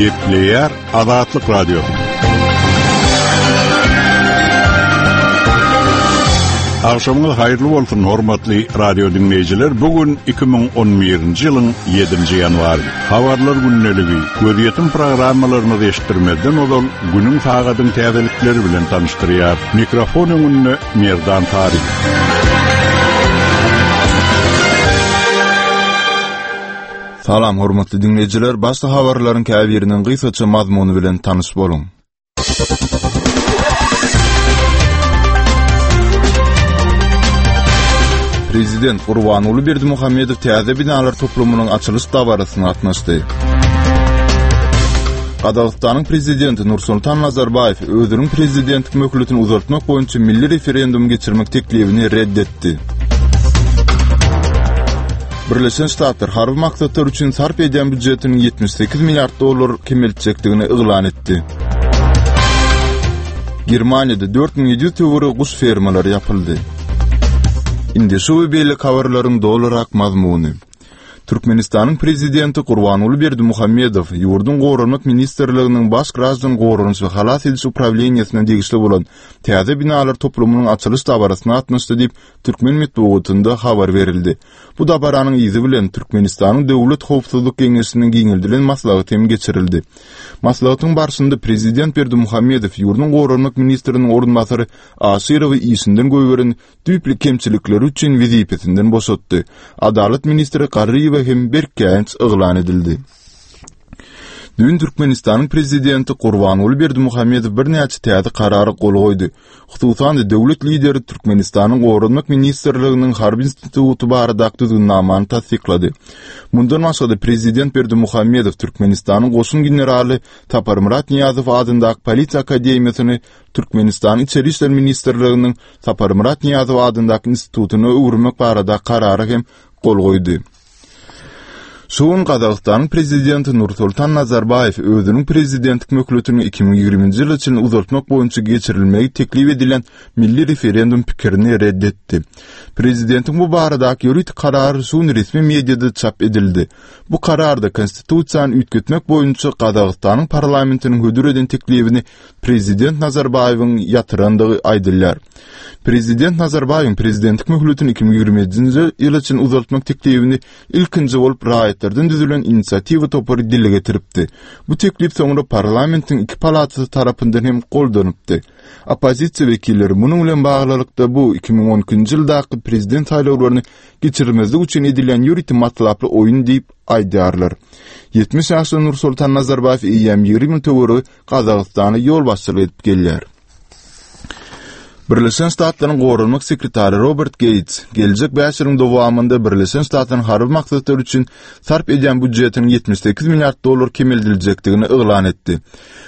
Gepleýär Azatlyk Radiosy. Agşamyňyz haýyrly bolsun, hormatly radio diňleýjiler. Bu gün 2011-nji ýylyň 7-nji ýanwary. Habarlar gündeligi, gözýetim programmalarymyzy eşitdirmezden ozal günüň sagadyň täzelikleri bilen tanyşdyrýar. Mikrofon öňünde Merdan Taryk. Salam hormatly diňleýjiler, başda habarlaryň käbiriniň gysgaça mazmuny bilen tanyş boluň. Prezident Gurbanguly Berdimuhamedow täze binalar toplumynyň açylyş dabarasyna gatnaşdy. Gazagystanyň prezidenti Nursultan Nazarbaýew özüniň prezidentlik möhletini uzaltmak boýunça milli referendum geçirmek teklibini red etdi. Birleşen Ştatlar harby maksatlar üçin sarp edýän býujetiniň 78 milliard dollar kemeltjekdigini yglan etdi. Germaniýada 4700 töweregi guş fermalary ýapyldy. Indi şu we beýleki habarlaryň dolurak mazmuny. Türkmenistanyň Prezidenti Gurbanguly Berdimuhamedow ýurduň Goranmak ministrliginiň Baş graždan goranyş we halas ediş uprawleniýesine degişli bolan täze binalar toplumynyň açylyş dabarasyna gatnaşdy diýip, türkmen metbugatynda habar berildi. Bu dabaranyň yzy bilen Türkmenistanyň Döwlet howpsuzlyk geňeşiniň giňeldilen maslahaty hem geçirildi. Maslahatyň barşynda prezident Berdimuhamedow ýurduň goranmak ministriniň orunbasary Aşyrowy işinden goýberen düýpli kemçilikleri üçin wezipesinden boşatdy. Adalat ministri Garryýewe hem berk käýinç yglan edildi. Düýn Türkmenistanyň Prezidenti Gurbanguly Berdimuhamedow birnäçe täze karara gol goýdy. Hususan-da, döwlet Lideri Türkmenistanyň Goranmak ministrliginiň Harby instituty baradaky düzgünnamany tassyklady. Mundan başga-da, Prezident Berdimuhamedow Türkmenistanyň goşun generaly Saparmyrat Nyýazow adyndaky Polisiýa akademiýasyny Türkmenistanyň Içeri işler ministrliginiň Saparmyrat Nyýazow adyndaky institutyna öwürmek barada karara hem gol goýdy. Şu gün Gazagystanyň Prezidenti Nursultan Nazarbaýew özüniň prezidentlik möhletini 2020-nji ýyla çenli uzaltmak boýunça geçirilmegi teklip edilen milli referendum pikirini red etdi. Prezidentiň bu baradaky ýörite karary şu gün resmi mediada çap edildi. Bu kararda Konstitusiýany üýtgetmek boýunça Gazagystanyň parlamentiniň hödür eden teklibini prezident Nazarbaýewiň ýatyrandygy aýdylýar. Prezident Nazarbaýewiň prezidentlik möhletini 2027-nji ýyla çenli uzaltmak teklibini ilkinji bolup raýatlardan düzülen inisiatiwa topary dile getiripdi. Bu teklip soňra parlamentiň iki palatasy tarapyndan hem goldanypdy. Oppozisiýa wekilleri munuň bilen baglylykda bu 2012-nji ýyldaky prezident saýlawlaryny geçirmezlik üçin edilýän ýörite matlaply oýun diýip aýdýarlar. 70 ýaşly Nursultan Nazarbaýew eýýäm 20 ýyl töweregi Gazagystana ýolbaşçylyk edip gelýär. Birleşen Ştatlaryň Goranmak sekretary Robert Geýts geljek bäş ýylyň dowamynda Birleşen Ştatlaryň harby maksatlar üçin sarp edýän býujetiniň 78 milliard dollar kemeldiljekdigini yglan etdi.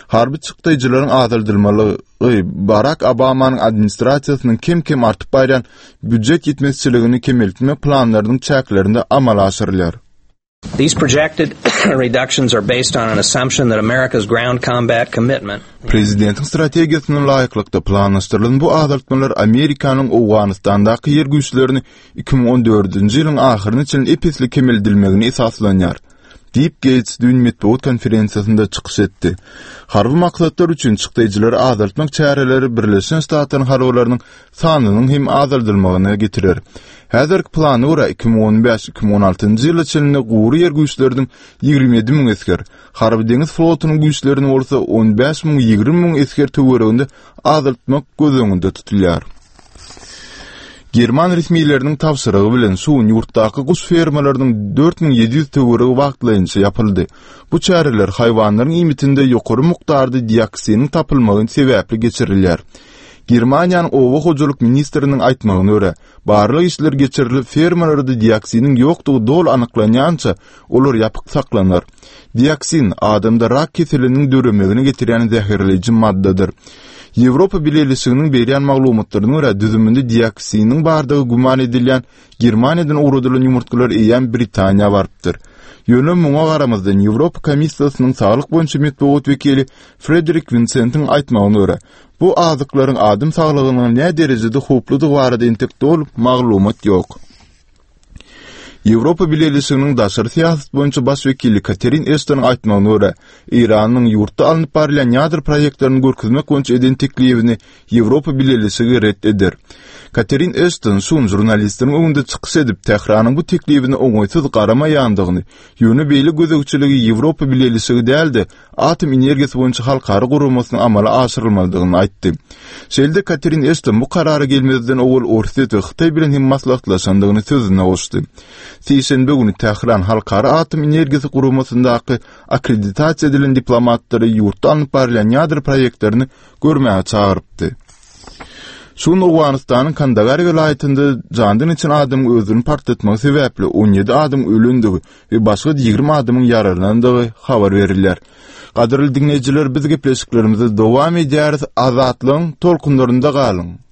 Harby çykdaýjylaryň azaldylmalygy Barak Obamanyň administrasiýasynyň kem-kem artyp barýan býujet ýetmezçiligini kemeltmek planlarynyň çäklerinde amala aşyrylýar. These projected reductions are based on an assumption that America's ground combat commitment Prezidentiň strategiýasyna laýyklykda planlaşdyrylan bu azaltmalar Amerikanyň Owganystandaky ýer güýçlerini 2014-nji ýylyň ahyryna çenli ep-esli kemeldilmegine esaslanýar, diýip, Geýts düýn metbugat konferensiýasynda çykyş etdi. Harby maksatlar üçin çykdaýjylary azaltmak çäreleri Birleşen Ştatlaryň harbylarynyň sanynyň hem azaldylmagyna getirer. Häzirki plana görä, 2015, 2016-njy ýyla çenli gury ýer güýçleriniň 27 müň esger, harby-deňiz flotunyň güýçlerini bolsa 15 müň, 20 müň esger töwereginde azaltmak göz öňünde tutulýar. German resmileriniň tabşyrygy bilen şu gün ýurtdaky guş fermalarynyň 4700 töweregi wagtlaýynça ýapyldy. Bu çäreler haýwanlaryň iýmitinde ýokary mukdarda dioksiniň tapylmagy sebäpli geçirilýär. Germaniýanyň oba hojalyk ministriniň aýtmagyna görä, barlag işleri geçirilip, fermalarda dioksiniň ýokdugy doly anyklanýança, olar ýapyk saklanar. Dioksin, adamda rak keseliniň döremegine getirýän zäherleýji maddadyr. Ýewropa Bileleşiginiň berýän maglumatlaryna görä, düzüminde dioksiniň bardygy güman edilýän Germaniýadan ugradylan ýumurtgalar eýýäm Britaniýa barypdyr. Ýöne muňa garamazdan, Ýewropa Komissiýasynyň saglyk boýunça metbugat wekili Frederik Winsentiň aýtmagyna görä, bu azyklaryň adam saglygyna näderejede howpludygy barada entek doly maglumat ýok. Ýewropa Bileleşiginiň daşary syýasat boýunça baş wekili Katerin Eştonyň aýtmagyna görä, Eýranyň ýurtda alnyp barylýan ýadro proýektlerini görkezmek boýunça eden teklibini Ýewropa Bileleşigi ret eder. Katerin Eşton şu gün žurnalistleriň öňünde çykyş edip, Tähranyň bu teklibine oňaýsyz garamaýandygyny, ýöne beýle gözegçiligi Ýewropa Bileleşigi däl-de, Atom energiýasy boýunça halkara guramasynyň amala aşyrylmalydygyny aýtdy. Şeýle-de Katerin Eşton bu karara gelmezden owal Orsýet we Hytaý bilen hem maslahatlaşandygyny sözüne goşdy. Sişenbe güni Tähran Halkara atom energiýasy guramasyndaky akkreditasiýa edilen diplomatlary ýurtda alnyp barylýan ýadro proýektlerini görmäge çagyrypdy. Şu gün Owganystanyň Kandagar welaýatynda jandan geçen adamyň özüni partlatmagy sebäpli 17 adamyň ölendigi we başga 20 adamyň ýaralanandygy habar berilýär. Gadyrly diňleýjiler, biz gepleşiklerimizi dowam edýäris, Azatlygyň tolkunlarynda galyň!